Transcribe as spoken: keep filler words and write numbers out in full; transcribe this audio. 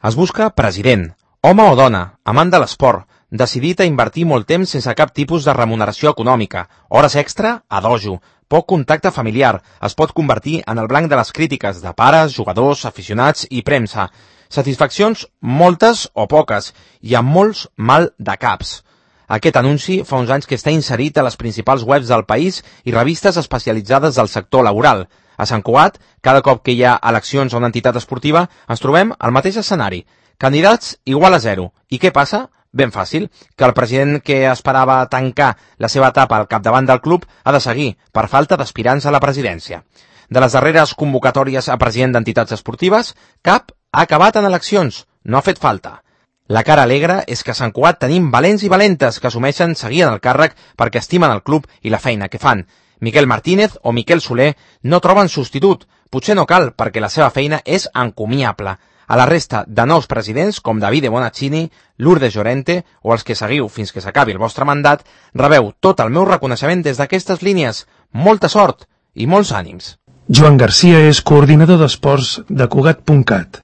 Es busca president, home o dona, amant de l'esport, decidit a invertir molt temps sense cap tipus de remuneració econòmica, hores extra a dojo, poc contacte familiar, es pot convertir en el blanc de les crítiques de pares, jugadors, aficionats i premsa. Satisfaccions moltes o poques, i amb molts mal de caps. Aquest anunci fa uns anys que està inserit a les principals webs del país i revistes especialitzades del sector laboral. A Sant Cugat, cada cop que hi ha eleccions a una entitat esportiva, ens trobem al mateix escenari. Candidats igual a zero. I què passa? Ben fàcil, que el president que esperava tancar la seva etapa al capdavant del club ha de seguir, per falta d'aspirants a la presidència. De les darreres convocatòries a president d'entitats esportives, cap ha acabat en eleccions, no ha fet falta. La cara alegre és que a Sant Cugat tenim valents i valentes que assumeixen seguir en el càrrec perquè estimen el club i la feina que fan. Miquel Martínez o Miquel Soler no troben substitut. Potser no cal, perquè la seva feina és encomiable. A la resta de nous presidents, com Davide Bonaccini, Lourdes Llorente o els que seguiu fins que s'acabi el vostre mandat, rebeu tot el meu reconeixement des d'aquestes línies. Molta sort i molts ànims. Joan Garcia és coordinador d'esports de Cugat punt cat.